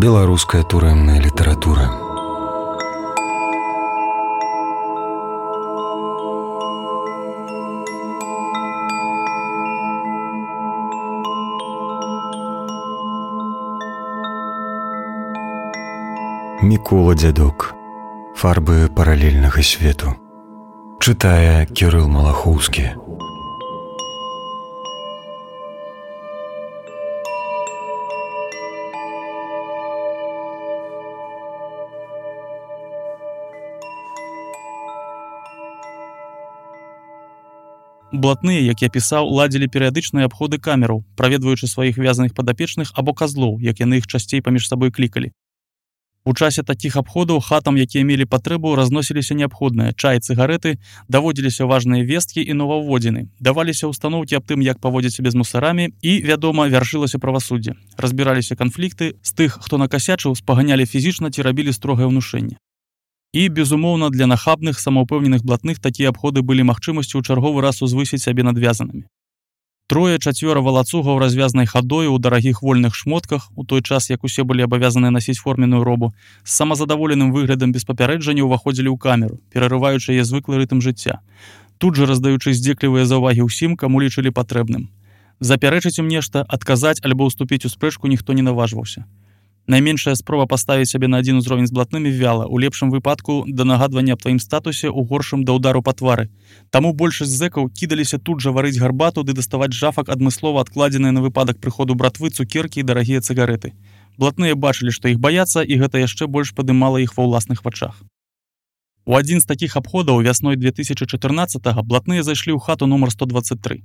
Беларуская турэмная літаратура. Мікола Дзядок. Фарбы паралельнага свету. Чытае Кірыл Малахоўскі. Блатныя, як я пісаў, ладзілі перыядычныя абходы камераў, праведваючы сваіх вязаных падапечных або казлоў, як яны іх часцей паміж сабой клікалі. У часе такіх абходаў хатам, якія мелі патрэбу, разносіліся неабходныя чай, цыгарэты, даводзіліся важныя весткі і новаўводзіны, даваліся ўстаноўкі аб тым, як паводзіць сябе з мусарамі і, вядома, вяршылася правасуддзе. Разбіраліся канфлікты, з тых, хто накасячыў, спаганялі фізічна ці рабілі строгае ўнушэнне. І, безумоўна, для нахабных, самаўпэўненых блатных такія абходы былі магчымасцю ў чарговы раз узвысіць сябе над вязанымі. Трое-чацвёра валацугаў развязнай хадою ў дарагіх вольных шмотках, у той час, як усе былі абавязаныя насіць форменную робу, з самазадаволеным выглядам без папярэджання ўваходзілі ў камеру, перарываючы яе звыклы рытм жыцця, тут жа раздаючы здзеклівыя заўвагі ўсім, каму лічылі патрэбным. Запярэчыць ім нешта, адказаць альбо ўступіць у спрэчку ніхто не наважваўся. Найменшая спроба паставіць сябе на адзін узровень з блатнымі вяла, у лепшым выпадку да нагадвання аб тваім статусе, у горшым да ўдару па твары. Таму большасць зэкаў кідаліся тут жа варыць гарбату ды даставаць жафак адмыслова адкладзеныя на выпадак прыходу братвы цукеркі і дарагія цыгарэты. Блатныя бачылі, што іх баяцца, і гэта яшчэ больш падымала іх ва ўласных вачах. У адзін з такіх абходаў вясной 2014-го блатныя зайшлі ў хату нумар 123.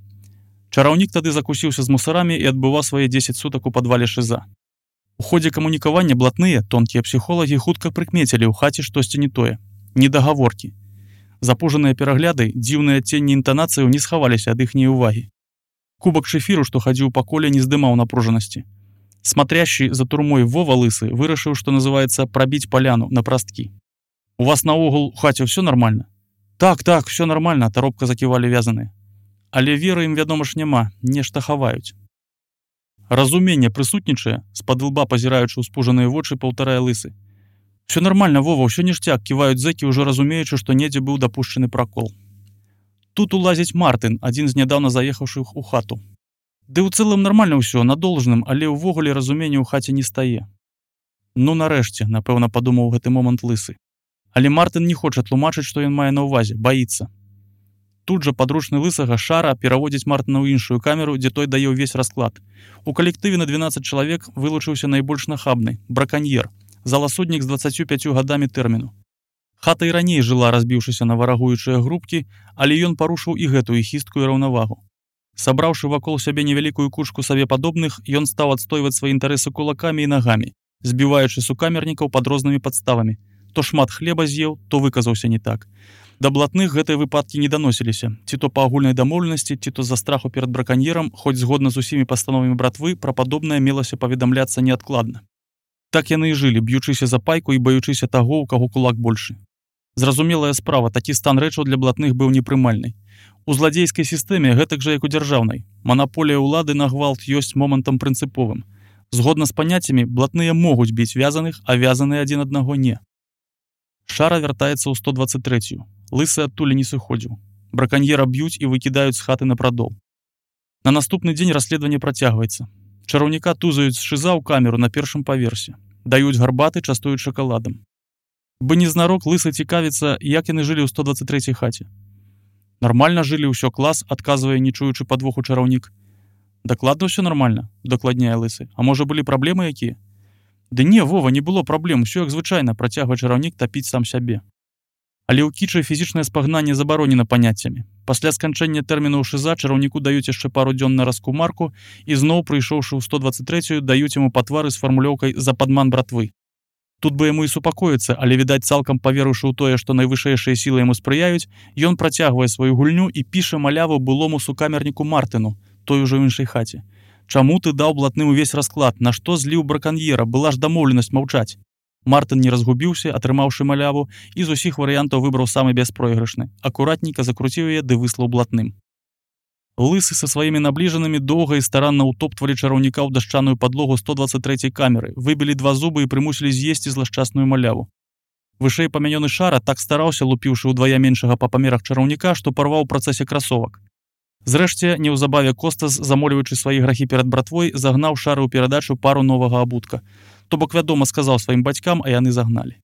Чараўнік тады закусіўся з мусарамі і адбываў свае 10 сутак у падвале ШЗА. У ходзе камунікавання блатныя, тонкія псіхолагі хутка прыкмецілі ў хаце штосьці не тое. Недагаворкі. Запужаныя перагляды, дзіўныя адценні інтанацыяў не схаваліся ад іхняй увагі. Кубак шэфіру, што хадзіў па коле, не здымаў напружанасці. Смотрящий за турмой Вова Лысы вырашыў, што называецца прабіць паляну на прасткі. У вас наогул у хаце ўсё нармальна? Так, ўсё нармальна, таропка заківалі вязаныя. Але веры ім, вядома ж, няма, нешта хаваюць. Разуменне прысутнічае, з-пад лба пазіраючы ўспужаныя вочы, паўтарае Лысы. Всё нармальна, Вова, ўсё ніштяк, ківаюць зэкі, ўжо разумеючы, што недзе быў дапушчаны пракол. Тут улазіць Мартын, адзін з нядаўна заехаўшых у хату. Ды ў цэлым нармальна ўсё, на должным, але ўвогуле разумення ў хаце не стае. Ну, нарэшце, напэўна, падумаў у гэты момант Лысы. Але Мартын не хоча тлумачыць, што ён мае на ўвазе, баіцца. Тут жа падручны Лысага Шара пераводзіць Мартына ў іншую камеру, дзе той дае ўвесь расклад. У калектыве на 12 чалавек вылучыўся найбольш нахабны – браканьер, заласуднік з 25 гадамі тэрміну. Хата і раней жыла, разбіўшыся на варагуючыя групкі, але ён парушыў і гэтую хісткую раўнавагу. Сабраўшы вакол сябе невялікую кучку сабе падобных, ён стаў адстойваць свае інтарэсы кулакамі і нагамі, збіваючы сукамернікаў пад рознымі падставамі. То шмат хлеба з'еў, то выказаўся не так. Да блатных гэтыя выпадкі не даносіліся, ці то па агульнай дамоўленасці, ці то з-за страху перад браканьерам, хоць згодна з усімі пастановамі братвы, пра падобнае мелася паведамляцца неадкладна. Так яны і жылі, б'ючыся за пайку і баючыся таго, у каго кулак большы. Зразумелая справа, такі стан рэчаў для блатных быў непрымальны. У зладзейскай сістэме гэтак жа, як у дзяржаўнай. Манаполія ўлады на гвалт ёсць момантам прынцыповым. Згодна з паняццямі, блатныя могуць біць вязаных, а вязаныя адзін аднаго не. Шара вяртаецца ў 123-ю. Лысы адтуль не сыходзіў. Браканьера б'юць і выкідаюць з хаты на прадол. На наступны дзень расследаванне працягваецца. Чараўніка тузаюць з ШЗА ў камеру на першым паверсе. Даюць гарбаты, частуюць шакаладам. Бы незнарок Лысы цікавіцца, як яны жылі ў 123-й хаце. Нармальна жылі, ўсё клас, адказвае, не чуючы падвоху чараўнік. Дакладна ўсё нармальна, дакладняе Лысы. А можа былі праблемы якія? Ды не, Вова, не было праблем, усё як звычайна, працягвае чараўнік тапіць сам сябе. Але ў кічы фізічнае спагнанне забаронена паняццямі. Пасля сканчэння тэрміну ў ШЗА чараўніку даюць яшчэ пару дзён на раскумарку і зноў, прыйшоўшы ў 123-ю, даюць яму патвары з фармулёўкай «За падман братвы». Тут бы яму і супакоіцца, але, відаць, цалкам паверыўшы ў тое, што найвышэйшыя сілы яму спрыяюць, ён працягвае сваю гульню і піша маляву былому сукамерніку Мартыну, той ужо ў іншай хаце. Чаму ты даў блатным увесь расклад? На што зліў браканьера? Была ж дамоўленасць маўчаць. Мартын не разгубіўся, атрымаўшы маляву, і з усіх варыянтаў выбраў самы бяспройгрышны. Акуратненька закруціў яе ды выслаў блатным. Лысы са сваімі набліжанымі доўга і старанна ўтоптвалі чараўніка ў дашчаную падлогу 123-й камеры, выбілі 2 зубы і прымусілі з'есці злашчасную маляву. Вышэй памянёны Шара так стараўся, лупіўшы ўдвая меншага па памерах чараўніка, што парваў у працэсе красовак. Зрэшце, неўзабаве Костас, замоліваючы свае грахі перад братвой, загнаў Шары ў перадачу пару новага абутка. То бок, вядома, сказаў сваім бацькам, а яны загналі.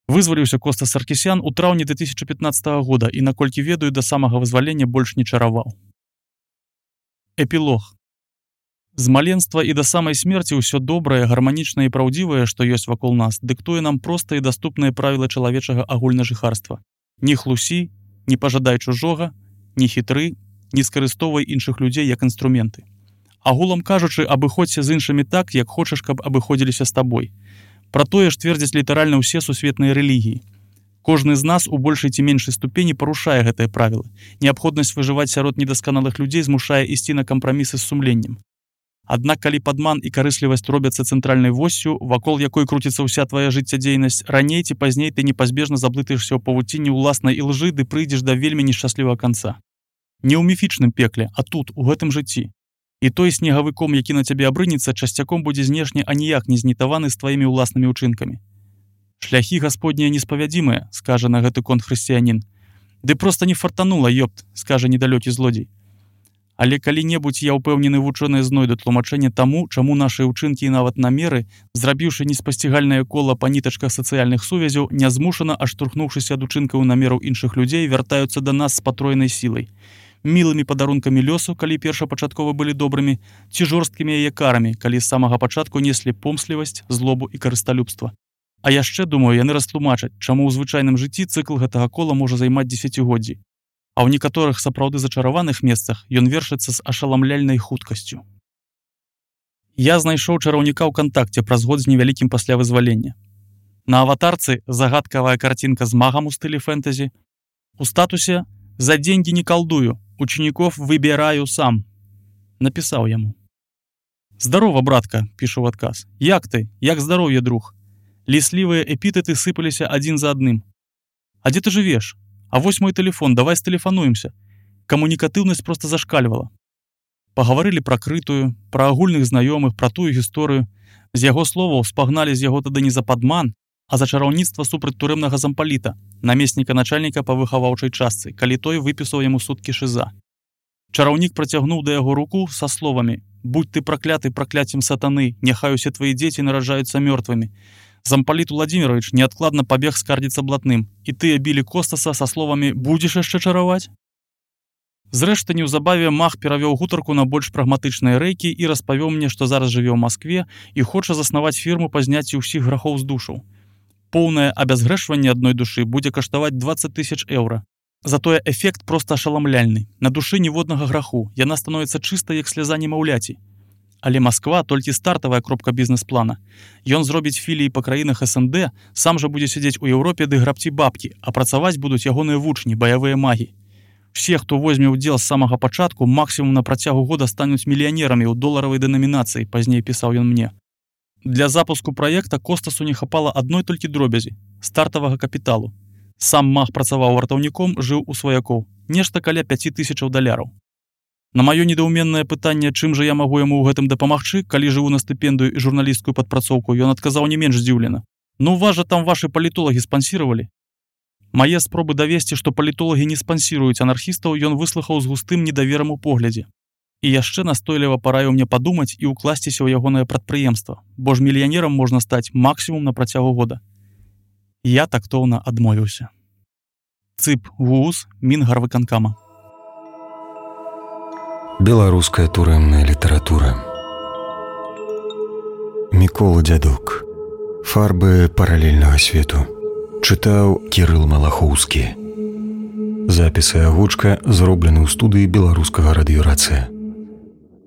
Вызваліўся Костас Саркісян у траўні 2015 года і, наколькі ведаю, да самага вызвалення больш не чараваў. Эпілог. З маленства і да самай смерці ўсё добрае, гарманічнае і праўдзівае, што ёсць вакол нас, дыктуе нам простыя і даступныя правілы чалавечага агульнажыхарства. Не хлусі, не пажадай чужога, не хітры, не скарыстоўвай іншых людзей як інструменты. Агулам кажучы, абыходзься з іншымі так, як хочаш, каб абыходзіліся з табой. Пра тое ж твердзяць літаральна ўсе сусветныя рэлігіі. Кожны з нас у большай ці меншай ступені парушае гэтыя правілы. Неабходнасць выжываць сярод недасканалых людзей змушае ісці на кампрамісы з сумленнем. Аднак, калі падман і карыслівасць робяцца цэнтральнай восцю, вакол якой круціцца ўся твая жыццядзейнасць, раней ці пазней ты непазбежна заблытаешся ў павуцінні ўласнай ілжы ды прыйдзеш да вельмі нешчаслівага канца. Не ў міфічным пекле, а тут, у гэтым жыцці. І той снегавы ком, які на цябе абрынецца, часцяком будзе знешне аніяк не знітаваны з тваімі ўласнымі ўчынкамі. Шляхі гасподнія неспавядзімыя, скажа на гэты конт хрысціянін. Ды проста не фартанула, ёпт, скажа недалёкі злодзей. Але калі-небудзь, я ўпэўнены, вучоныя знойдуць тлумачэнне таму, чаму нашы ўчынкі і нават намеры, зрабіўшы неспасцігальнае кола па нітачках сацыяльных сувязяў, нязмушана, аж штурхнуўшыся ад учынкаў і намераў іншых людзей, вяртаюцца да нас з патройнай сілай. Мілымі падарункамі лёсу, калі першапачаткова былі добрымі, ці жорсткімі яе карамі, калі з самага пачатку неслі помслівасць, злобу і карысталюбства. А яшчэ, думаю, яны растлумачаць, чаму ў звычайным жыцці цыкл гэтага кола можа займаць дзесяцігоддзі. А ў некаторых сапраўды зачараваных месцах ён вершыцца з ашаламляльнай хуткасцю. Я знайшоў чараўніка ў кантакце праз год з невялікім пасля вызвалення. На аватарцы загадкавая карцінка з магам у стылі фэнтэзі. У статусе «За деньги не колдую, учеников выбираю сам». Напісаў яму. «Здорово, братка», пішу ў адказ. «Як ты? Як здароўе, друг?» Ліслівыя эпітэты сыпаліся адзін за адным. «А дзе ты жывеш? А вось мой тэлефон, давай стэлефануемся». Камунікатыўнасць проста зашкальвала. Пагаварылі пра крытую, пра агульных знаёмых, пра тую гісторыю. З яго словаў спагналі з яго тады не за падман, а за чараўніцтва супраць турэмнага зампаліта, намесніка начальніка па выхаваўчай частцы, калі той выпісаў яму суткі шыза. Чараўнік працягнуў да яго руку са словамі: «Будь ты пракляты пракляццем сатаны, няхай усе твои дзеці нараджаюцца мёртвымі». Зампаліт Владимирович неадкладна пабег скардзіцца блатным, і тыя білі Костаса са словамі «Будзеш яшчэ чараваць?». Зрэшты, неўзабаве маг перавёў гутарку на больш прагматычныя рэйкі і распавёў мне, што зараз жыве ў Маскве і хоча заснаваць фірму па зняцці ўсіх грахоў з душаў. Поўнае абязгрэшванне адной душы будзе каштаваць 20 000 еўра. Затое эфект проста ашаламляльны. На душы ніводнага граху, яна становіцца чыста як сляза немаўляці. Але Масква толькі стартавая кропка бізнес-плана. Ён зробіць філіі па краінах СНД, сам жа будзе сядзець у Еўропе ды грабці бабкі, а працаваць будуць ягоныя вучні, баявыя магі. Все, хто возьме ўдзел з самага пачатку, максімум на працягу года стануць мільянерамі ў доларавай дэнамінацыі, пазней пісаў ён мне. Для запуску праекта Костасу не хапала адной толькі дробязі – стартавага капіталу. Сам маг працаваў вартаўніком, жыў у сваякоў. Нешта каля $5000. На маё недаўменнае пытанне, чым жа я магу яму ў гэтым дапамагчы, калі жыву на стыпендыю і журналісцкую падпрацоўку, ён адказаў не менш здзіўлена. «Ну вас жа там вашы палітолагі спансіравалі». Мае спробы давесці, што палітолагі не спансіруюць анархістаў, ён выслухаў з густым недаверам у поглядзе. І яшчэ настойліва параіў мне падумаць і ўкласціся ў ягонае прадпрыемства, бо ж мільянерам можна стаць максімум на працягу года. Я тактоўна адмовіўся. ЦЫП ВУЗ Мінгарвыканкама. Беларуская турэмная літаратура. Мікола Дзядок. Фарбы паралельнага свету. Чытаў Кірыл Малахоўскі. Запіс і агучка зроблены ў студыі беларускага радыёрацыя.